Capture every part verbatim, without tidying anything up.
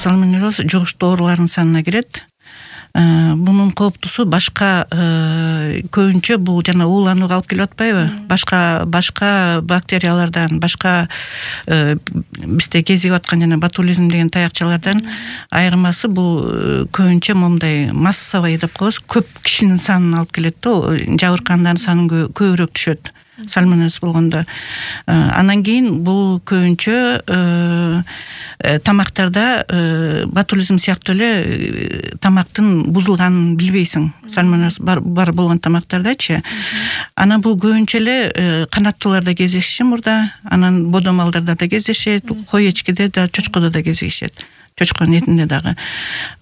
сальмонеллез жугуштуу оорулардын санына кирет. Бунун кооптусу башка көбүнчө бул жана ууланууга алып келип атпайбы? Башка башка бактериялардан, башка бизде кезигип аткан жана ботулизм деген таякчалардан айырмасы бул көбүнчө момундай массовый деп коебуз, көп кишинин санын алып келет да, жабыркандардын саны көбүрөөк түшөт. Сальмонеллез болгондо. Анан кийин бул көбүнчө тамактарда ботулизм сыяктуу эле тамактын бузулганын билбейсиң. Сальмонеллез бар бар болгон тамактардачы. Анан бул көбүнчө эле канаттууларда кездешет мурда, анан бодо малдарда да кездешет, кой эчкиде да, чочкодо да кездешет. Чочконун этинде дагы.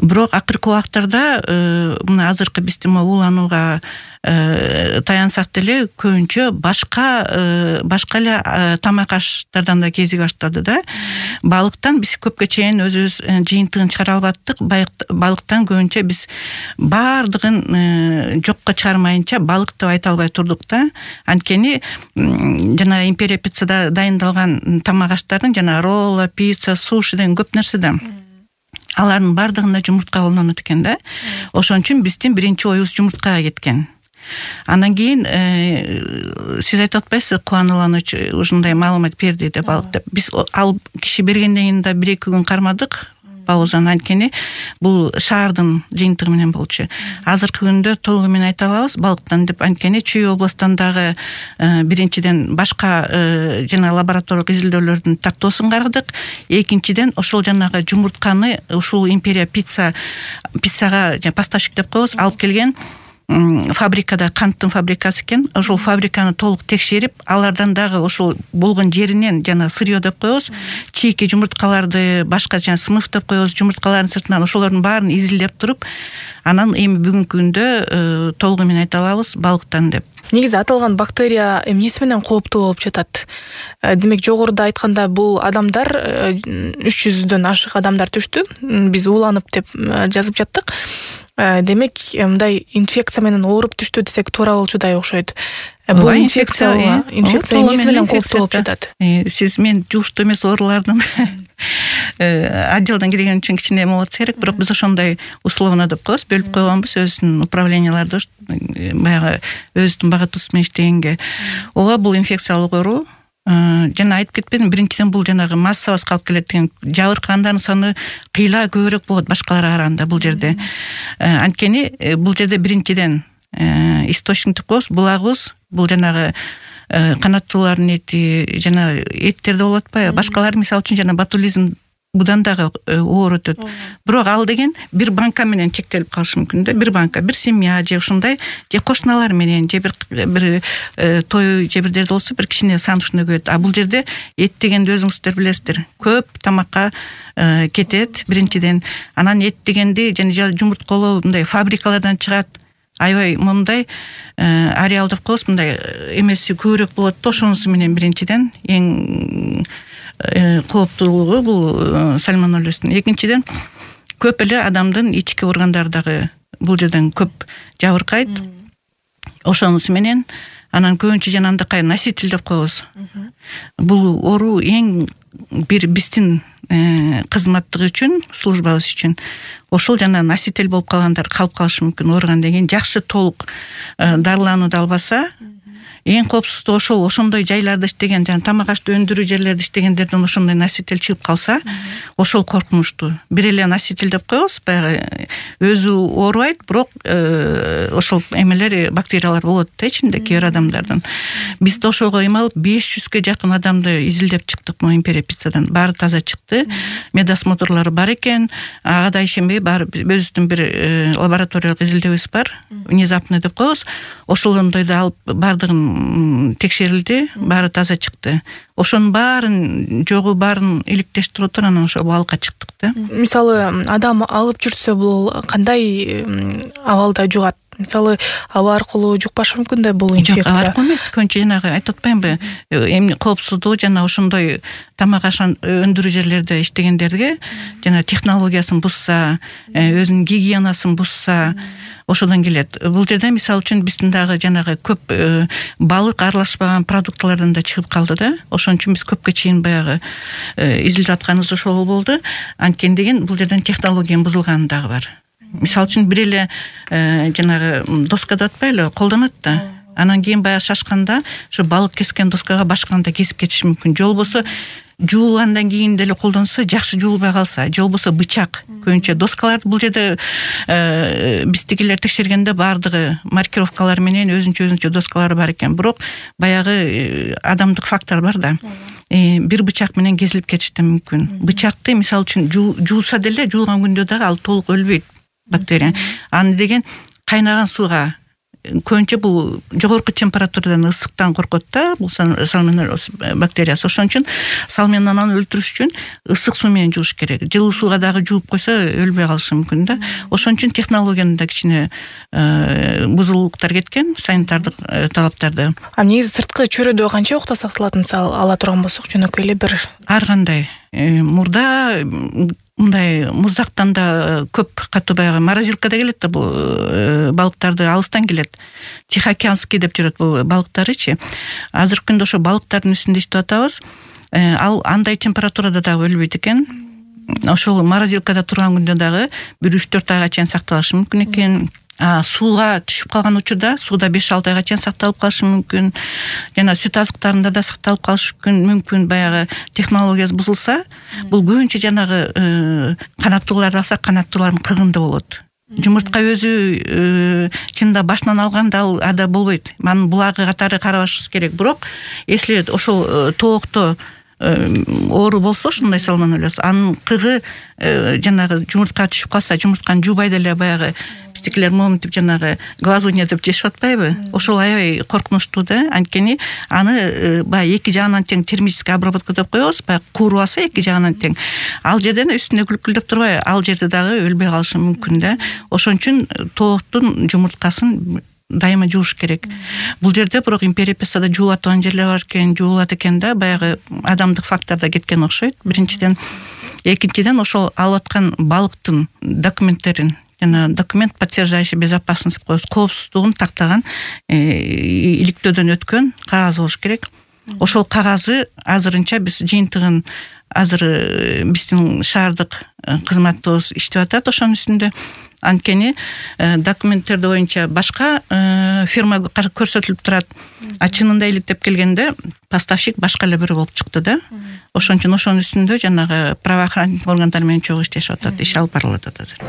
Бирок акыркы убактарда мына азыркы биздин ууланууга таянсак деле көбүнчө башка башка эле тамак аштардан да кезиге баштады да. Балыктан биз көпкө чейин өзүбүз жыйынтыгын чыгара албаттык. Балыктан көбүнчө биз баардыгын жокко чыгармайынча балык деп айта албай турдук да. Анткени жана империя пиццада дайындалган тамак аштардын жана ролла, пицца, суши деген көп нерсе да. Алардын баардыгында жумуртка колдонот экен да. Ошон үчүн биздин биринчи оюбуз жумурткага кеткен. Андан кийин сиз айтып атпайсызбы, кубанылган ушундай маалымат берди деп алып деп. Биз ал киши бергенден кийин да бир эки күн кармадык. Паузаны, анткени бул шаардын жыйынтыгы менен болчу. Азыркы күндө толугу менен айта алабыз балыктан деп, анткени Чүй областан дагы биринчиден башка жана лабораториялык изилдөөлөрдүн тактоосун карадык. Экинчиден ошол жанагы жумуртканы ушул империя пицца пиццага поставщик деп коебуз, алып келген фабрикада, канттын фабрикасы экен. Ошол фабриканы толук текшерип, алардан дагы ошол болгон жеринен жана сырьё деп коебуз, чийки жумурткаларды, башка жана сынып деп коебуз, жумурткалардын сыртынан ошолордун баарын изилдеп туруп, анан эми бүгүнкү күндө толугу менен айта алабыз балыктан деп. Негизи аталган бактерия эмнеси менен кооптуу болуп жатат? Демек, жогоруда айтканда бул адамдар үч жүздөн ашык адамдар түштү. Биз ууланып деп жазып жаттык. Демек, мындай инфекция менен ооруп түштү десек туура болчудай окшойт. Бул инфекция инфекция эмнеси менен кооптуу болуп жатат? Сиз мен жугуштуу эмес оорулардын отделдан кирген үчүн кичине эме болот керек, бирок биз ошондой условно деп коебуз, бөлүп койгонбуз өзүнүн управленияларды, баягы өзүнүн багытуусу менен иштегенге. Ооба, бул инфекциялык оору. Жана айтып кетпедим, биринчиден бул жанагы массабызга алып келет деген жабыркандардын саны кыйла көбүрөөк болот башкаларга караганда бул жерде. Анткени бул жерде биринчиден источник деп коебуз, булагыбыз, бул жанагы канаттуулардын эти жана эттерде болот атпайбы? Башкалар мисалы үчүн жана ботулизм будан дагы оор өтөт. Бирок ал деген бир банка менен чектелип калышы мүмкүн да. Бир банка, бир семья же ушундай, же кошуналар менен, же бир бир той, же бир жерде болсо бир кичине сан ушундай көбөйт. А бул жерде эт дегенди өзүңүздөр билесиздер. Көп тамакка кетет биринчиден. Анан эт дегенди жана жумурткалоо мындай фабрикалардан чыгат. Аябай момундай ареал деп коебуз, мындай эмеси көбүрөөк болот да, ошонусу менен биринчиден эң кооптуулугу бул сальмонеллездин. Экинчиден көп эле адамдын ички органдары дагы бул жерден көп жабыркайт. Ошонусу менен анан көбүнчө жана андакай носитель деп коебуз. Бул оору эң бир биздин кызматтыгы үчүн, службабыз үчүн ошол жана носитель болуп калгандар калып калышы мүмкүн. Оорган деген жакшы толук дарыланууду албаса, эң коопсуздугу ошол ошондой жайларда иштеген, жана тамак ашты өндүрүү жерлерде иштегендерден ошондой носитель чыгып калса, ошол коркунучтуу. Бир эле носитель деп коебуз, баягы өзү оорубайт, бирок ошол эмелер, бактериялар болот да ичинде кээ бир адамдардын. Биз да ошого эме алып беш жүзгө жакын адамды изилдеп чыктык могу империя пиццадан. Баары таза чыкты. Медосмотрлары бар экен. Ага да ишенбей, баары өзүбүздүн бир лабораториялык изилдөөбүз бар. Внезапный деп коебуз. Ошолондойду алып баардыгын текшерилди, баары таза чыкты. Ошонун баарын жогу баарын иликтештирип отуруп анан ошо балыкка чыктык да. Мисалы, адам алып жүрсө бул кандай абалда жугат? мисалы аба аркылуу жукпашы мүмкүн да бул жок, инфекция. аба аркылуу эмес, көбүнчө жанагы айтып атпаймынбы, эмне коопсуздугу жана ошондой тамак аш өндүрүү жерлерде иштегендерге жана технологиясын бузса, өзүнүн гигиенасын бузса, ошодон келет. Бул жерде мисалы үчүн биздин дагы жанагы көп балык аралашпаган продукталардан да чыгып калды да. Ошон үчүн биз көпкө чейин баягы изилдеп атканыбыз ошол болду. Анткени деген бул жерден технологиянын бузулганы дагы бар. Мисалы үчүн бир эле жанагы доска деп атпайлы, колдонот да. Анан кийин баягы шашканда ошо балык кескен доскага башканда кесип кетиши мүмкүн. Же болбосо жуулгандан кийин деле колдонсо, жакшы жуулбай калса, же болбосо бычак, көбүнчө доскаларды бул жерде биздикилер текшергенде баардыгы маркировкалар менен өзүнчө өзүнчө доскалары бар экен. Бирок баягы адамдык фактор бар да. Бир бычак менен кезилип кетиши да мүмкүн. Бычакты мисалы үчүн жууса деле, жуулган күндө дагы ал толук өлбөйт бактерия. Аны деген кайнаган сууга, көбүнчө бул жогорку температурадан, ысыктан коркот да, бул сальмонеллез бактериясы. Ошон үчүн сальмонелланы өлтүрүш үчүн ысык суу менен жууш керек. Жылуу сууга дагы жууп койсо өлбөй калышы мүмкүн да. Ошон үчүн технологияны да кичине бузулуктар кеткен, санитардык талаптарды. А негизи сырткы чөйрөдө канча убакта сакталат, мисалы ала турган болсок, жөнөкөй эле бир ар кандай. Мурда мындай муздактан да көп катуу баягы морозилкада келет да, бул балыктарды алыстан келет. Тихоокеанский деп жүрөт бул балыктарычы. Азыркы күндө ошо балыктардын үстүндө иштеп атабыз. Ал андай температурада дагы өлбөйт экен. Ошол морозилкада турган күндө дагы бир үч төрт айга чейин сакталышы мүмкүн экен. А сууга түшүп калган учурда сууда беш алты айга чейин сакталып калышы мүмкүн. Жана сүт азыктарында да сакталып калышы мүмкүн. Баягы технологиясы бузулса, бул көбүнчө жанагы канаттууларды алса, канаттуулардын кыгында болот. Жумуртка өзү чында башынан алганда ал ада болбойт. Анын булагы катары карабашыбыз керек. Бирок если ошол тоокто оору болсо, ушундай сальмонеллез, анын кыгы жанагы жумуртка түшүп калса, жумуртканы жуубай деле баягы биздикилер моминтип жанагы глазунья деп жешип атпайбы? Ошол аябай коркунучтуу да. Анткени аны баягы эки жагынан тең термический обработка деп коебуз, баягы кууруп алса эки жагынан тең. Ал жерден үстүнө күлкүлдөп турбай, ал жерде дагы өлбөй калышы мүмкүн да. Ошон үчүн тооктун жумурткасын дайыма жууш керек. Бул жерде бирок империя-песада жуулатып жерлер бар экен, жуулат экен да, баягы адамдык факторда кеткен окшойт. Биринчиден, экинчиден ошол алып аткан балыктын документтерин, жана документ подтверждающий безопасность деп коебуз, коопсуздугун тактаган, иликтөөдөн өткөн кагаз болуш керек. Ошол кагазы азырынча биз жыйынтыгын азыр биздин шаардык кызматыбыз иштеп атат ошонун үстүндө. Анткени документтерди боюнча башка фирма көрсөтүлүп турат. А чынында иликтеп келгенде поставщик башка эле бирөө болуп чыкты да. Ошон үчүн ошонун үстүндө жанагы правоохранительный органдар менен чогуу иштешип атат, иш алып барылып атат азыр.